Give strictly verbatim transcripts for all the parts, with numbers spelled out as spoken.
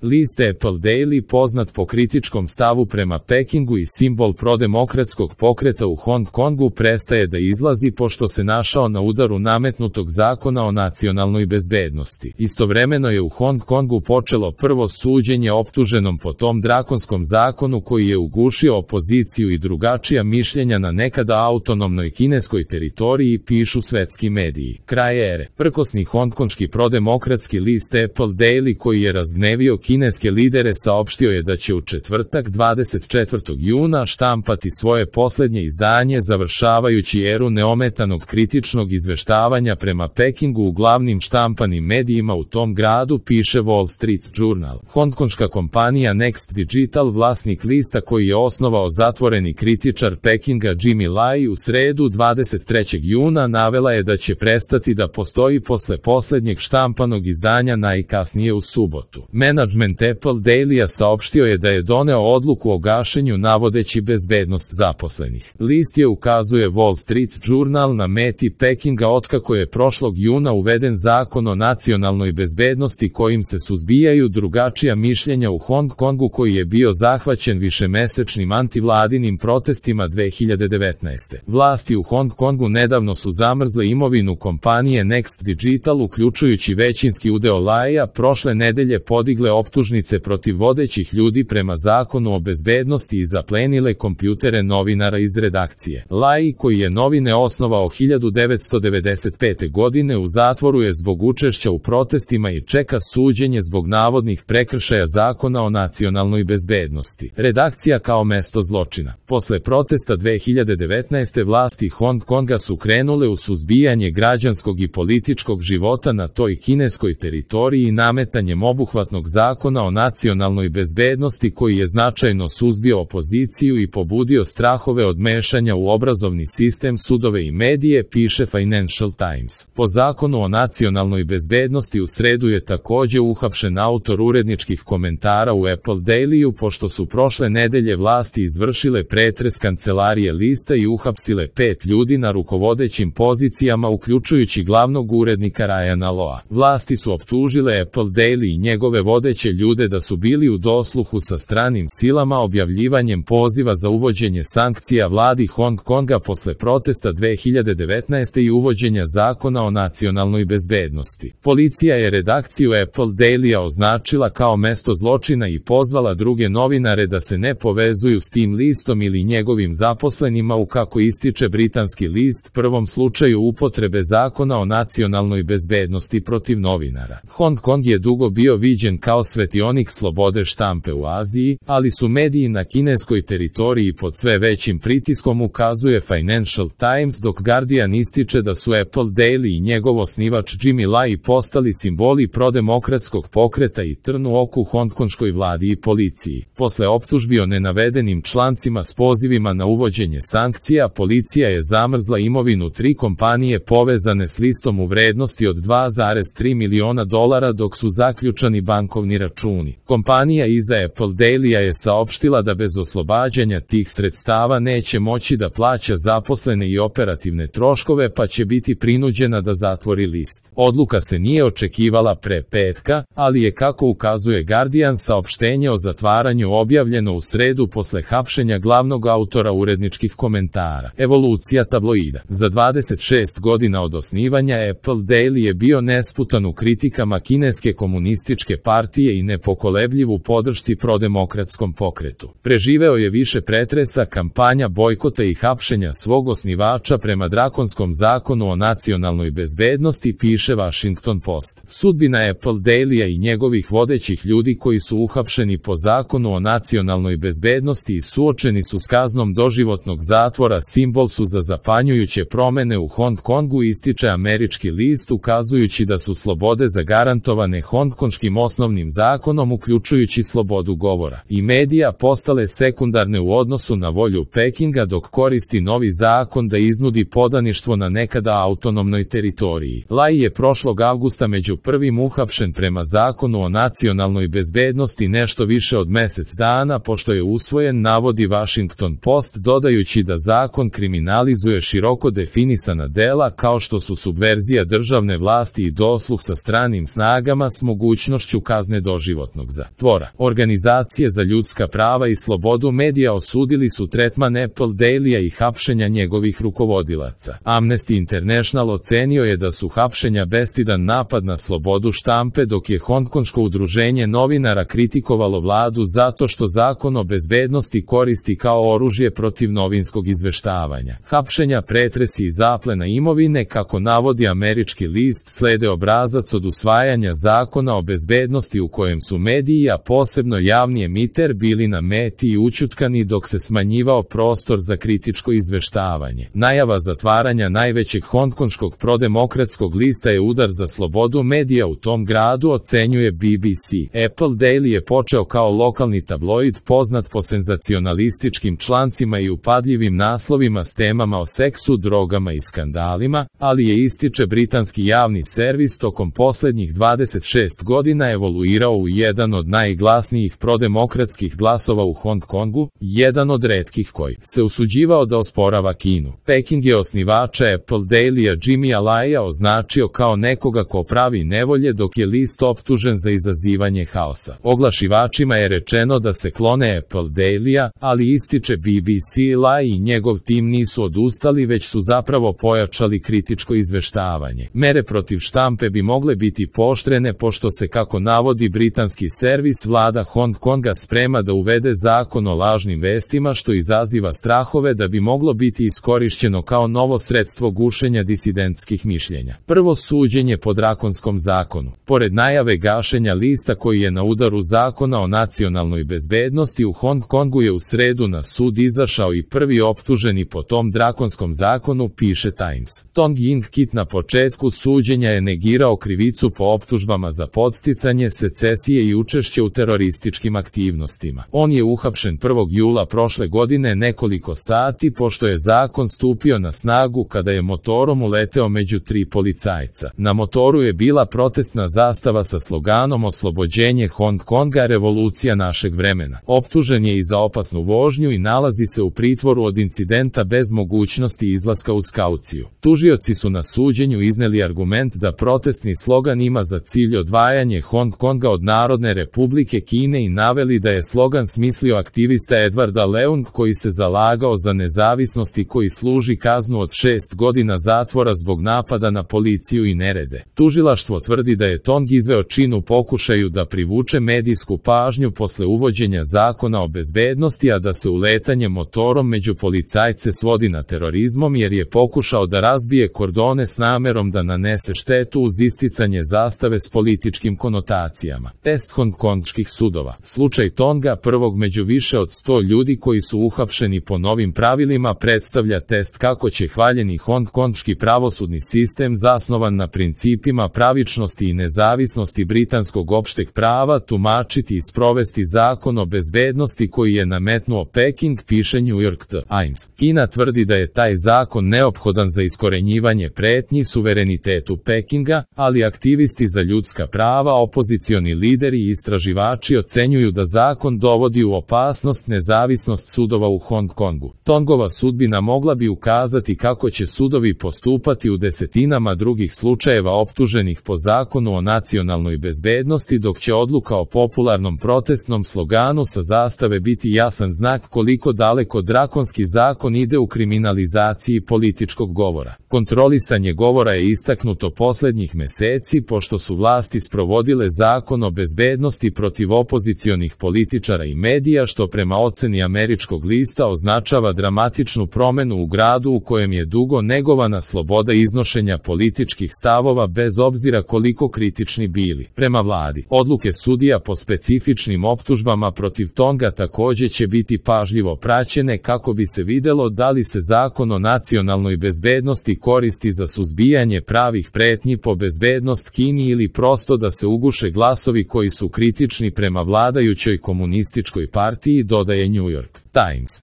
List Apple Daily, poznat po kritičkom stavu prema Pekingu i simbol prodemokratskog pokreta u Hong Kongu, prestaje da izlazi pošto se našao na udaru nametnutog zakona o nacionalnoj bezbednosti. Istovremeno je u Hong Kongu počelo prvo suđenje optuženom po tom drakonskom zakonu koji je ugušio opoziciju i drugačija mišljenja na nekada autonomnoj kineskoj teritoriji, pišu svetski mediji. Kraj ere. Prkosni hongkonški prodemokratski list Apple Daily, koji je razgnevio kineske lidere, saopštio je da će u četvrtak dvadeset četvrtog juna štampati svoje posljednje izdanje, završavajući eru neometanog kritičnog izveštavanja prema Pekingu u glavnim štampanim medijima u tom gradu, piše Wall Street Journal. Hongkonška kompanija Next Digital, vlasnik lista koji je osnovao zatvoreni kritičar Pekinga Jimmy Lai, u sredu dvadeset trećeg juna navela je da će prestati da postoji posle posljednjeg štampanog izdanja najkasnije u subotu. Management Apple Dailya saopštio je da je doneo odluku o gašenju navodeći bezbednost zaposlenih. List je, ukazuje Wall Street Journal, na meti Pekinga otkako je prošlog juna uveden zakon o nacionalnoj bezbednosti kojim se suzbijaju drugačija mišljenja u Hong Kongu, koji je bio zahvaćen višemesečnim antivladinim protestima dve hiljade devetnaeste. Vlasti u Hong Kongu nedavno su zamrzle imovinu kompanije Next Digital, uključujući većinski udeo Laia, prošle nedelje podigle optužnice protiv vodećih ljudi prema zakonu o bezbednosti i zaplenile kompjutere novinara iz redakcije. Lai, koji je novine osnovao hiljadu devetsto devedeset pete. godine, u zatvoru je zbog učešća u protestima i čeka suđenje zbog navodnih prekršaja zakona o nacionalnoj bezbednosti. Redakcija kao mesto zločina. Posle protesta dve hiljade devetnaeste. vlasti Hong Konga su krenule u suzbijanje građanskog i političkog života na toj kineskoj teritoriji nametanjem obuhvatnog zakona o nacionalnoj bezbednosti koji je značajno suzbio opoziciju i pobudio strahove od mešanja u obrazovni sistem, sudove i medije, piše Financial Times. Po zakonu o nacionalnoj bezbednosti u sredu je takođe uhapšen autor uredničkih komentara u Apple Dailyu pošto su prošle nedelje vlasti izvršile pretres kancelarije lista i uhapsile pet ljudi na rukovodećim pozicijama, uključujući glavnog urednika Ryana Loa. Vlasti su optužile Apple Daily i njegove vodeće ljude da su bili u dosluhu sa stranim silama objavljivanjem poziva za uvođenje sankcija vladi Hong Konga posle protesta dve hiljade devetnaeste. i uvođenja zakona o nacionalnoj bezbednosti. Policija je redakciju Apple Dailya označila kao mesto zločina i pozvala druge novinare da se ne povezuju s tim listom ili njegovim zaposlenima u, kako ističe britanski list, prvom slučaju upotrebe zakona o nacionalnoj bezbednosti protiv novinara. Hong Kong je dugo bio viđen kao svetionik slobode štampe u Aziji, ali su mediji na kineskoj teritoriji pod sve većim pritiskom, ukazuje Financial Times, dok Guardian ističe da su Apple Daily i njegov osnivač Jimmy Lai postali simboli prodemokratskog pokreta i trn u oku hongkonškoj vladi i policiji. Posle optužbi o nenavedenim člancima s pozivima na uvođenje sankcija, policija je zamrzla imovinu tri kompanije povezane s listom u vrednosti od dva zarez tri miliona dolara, dok su zaključani bankovni računi. Kompanija iza Apple Dailya je saopštila da bez oslobađanja tih sredstava neće moći da plaća zaposlene i operativne troškove, pa će biti prinuđena da zatvori list. Odluka se nije očekivala pre petka, ali je, kako ukazuje Guardian, saopštenje o zatvaranju objavljeno u sredu posle hapšenja glavnog autora uredničkih komentara. Evolucija tabloida. Za dvadeset šest godina od osnivanja Apple Daily je bio nesputan u kritikama kineske komunističke partije i nepokolebljiv u podršci prodemokratskom pokretu. Preživeo je više pretresa, kampanja bojkota i hapšenja svog osnivača prema drakonskom zakonu o nacionalnoj bezbednosti, piše Washington Post. Sudbina Apple Dailya i njegovih vodećih ljudi koji su uhapšeni po zakonu o nacionalnoj bezbednosti i suočeni su s kaznom doživotnog zatvora simbol su za zapanjujuće promene u Hong Kongu, ističe američki list, ukazujući da su slobode zagarantovane hongkonškim osnovnim zakonom, uključujući slobodu govora i medija, postale sekundarne u odnosu na volju Pekinga, dok koristi novi zakon da iznudi podaništvo na nekada autonomnoj teritoriji. Lai je prošlog avgusta među prvim uhapšen prema zakonu o nacionalnoj bezbednosti nešto više od mesec dana pošto je usvojen, navodi Washington Post, dodajući da zakon kriminalizuje široko definisana dela kao što su subverzija državne vlasti i dosluh sa stranim snagama s mogućnošću kazne do doživotnog zatvora. Organizacije za ljudska prava i slobodu medija osudili su tretman Apple Dailya i hapšenja njegovih rukovodilaca. Amnesty International ocenio je da su hapšenja bestidan napad na slobodu štampe, dok je Hongkonško udruženje novinara kritikovalo vladu zato što zakon o bezbednosti koristi kao oružje protiv novinskog izveštavanja. Hapšenja, pretresi i zaplena imovine, kako navodi američki list, slede obrazac od usvajanja zakona o bezbednosti u kojem su mediji, a posebno javni emiter, bili na meti i ućutkani dok se smanjivao prostor za kritičko izveštavanje. Najava zatvaranja najvećeg hongkonškog prodemokratskog lista je udar za slobodu medija u tom gradu, ocenjuje B B C. Apple Daily je počeo kao lokalni tabloid poznat po senzacionalističkim člancima i upadljivim naslovima s temama o seksu, drogama i skandalima, ali je, ističe britanski javni servis, tokom poslednjih dvadeset šest godina evoluirao u jedan od najglasnijih prodemokratskih glasova u Hong Kongu, jedan od retkih koji se usuđivao da osporava Kinu. Peking je osnivača Apple Dailya Jimmya Laya označio kao nekoga ko pravi nevolje, dok je list optužen za izazivanje haosa. Oglašivačima je rečeno da se klone Apple Dailya, ali, ističe B B C, Lai i njegov tim nisu odustali, već su zapravo pojačali kritičko izveštavanje. Mere protiv štampe bi mogle biti pooštrene pošto se, kako navodi britanski servis, vlada Hong Konga sprema da uvede zakon o lažnim vestima, što izaziva strahove da bi moglo biti iskorišćeno kao novo sredstvo gušenja disidentskih mišljenja. Prvo suđenje po drakonskom zakonu. Pored najave gašenja lista koji je na udaru zakona o nacionalnoj bezbednosti, u Hong Kongu je u sredu na sud izašao i prvi optuženi po tom drakonskom zakonu, piše Times. Tong Ying Kit na početku suđenja je negirao krivicu po optužbama za podsticanje secesije i učešće u terorističkim aktivnostima. On je uhapšen prvog jula prošle godine, nekoliko sati pošto je zakon stupio na snagu, kada je motorom uleteo među tri policajca. Na motoru je bila protestna zastava sa sloganom "Oslobođenje Hong Konga, revolucija našeg vremena". Optužen je i za opasnu vožnju i nalazi se u pritvoru od incidenta bez mogućnosti izlaska uz kauciju. Tužioci su na suđenju izneli argument da protestni slogan ima za cilj odvajanje Hong Konga od Narodne Republike Kine i naveli da je slogan smislio aktivista Edwarda Leung, koji se zalagao za nezavisnost i koji služi kaznu od šest godina zatvora zbog napada na policiju i nerede. Tužilaštvo tvrdi da je Tong izveo čin u pokušaju da privuče medijsku pažnju posle uvođenja zakona o bezbednosti, a da se uletanje motorom među policajce svodi na terorizmom, jer je pokušao da razbije kordone s namerom da nanese štetu uz isticanje zastave s političkim konotacijama. Test hongkonških sudova. Slučaj Tonga, prvog među više od sto ljudi koji su uhapšeni po novim pravilima, predstavlja test kako će hvaljeni hongkonški pravosudni sistem, zasnovan na principima pravičnosti i nezavisnosti britanskog opšteg prava, tumačiti i sprovesti zakon o bezbednosti koji je nametnuo Peking, piše New York Times. Kina tvrdi da je taj zakon neophodan za iskorenjivanje pretnji suverenitetu Pekinga, ali aktivisti za ljudska prava, opozicioni lideri i istraživači ocenjuju da zakon dovodi u opasnost nezavisnost sudova u Hong Kongu. Tongova sudbina mogla bi ukazati kako će sudovi postupati u desetinama drugih slučajeva optuženih po zakonu o nacionalnoj bezbednosti, dok će odluka o popularnom protestnom sloganu sa zastave biti jasan znak koliko daleko drakonski zakon ide u kriminalizaciji političkog govora. Kontrolisanje govora je istaknuto poslednjih meseci pošto su vlasti sprovodile zakon o bezbednosti protiv opozicionih političara i medija, što prema oceni američkog lista označava dramatičnu promenu u gradu u kojem je dugo negovana sloboda iznošenja političkih stavova bez obzira koliko kritični bili. Prema vladi, odluke sudija po specifičnim optužbama protiv Tonga takođe će biti pažljivo praćene kako bi se videlo da li se zakon o nacionalnoj bezbednosti koristi za suzbijanje pravih pretnji po bezbednost Kini ili prosto da se uguše glasovi koji su kritični prema vladajućoj komunističkoj partiji, dodaje New York Times.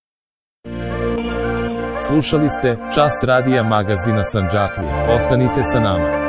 Slušali ste Čas radija magazina Sandžaklija. Ostanite sa nama.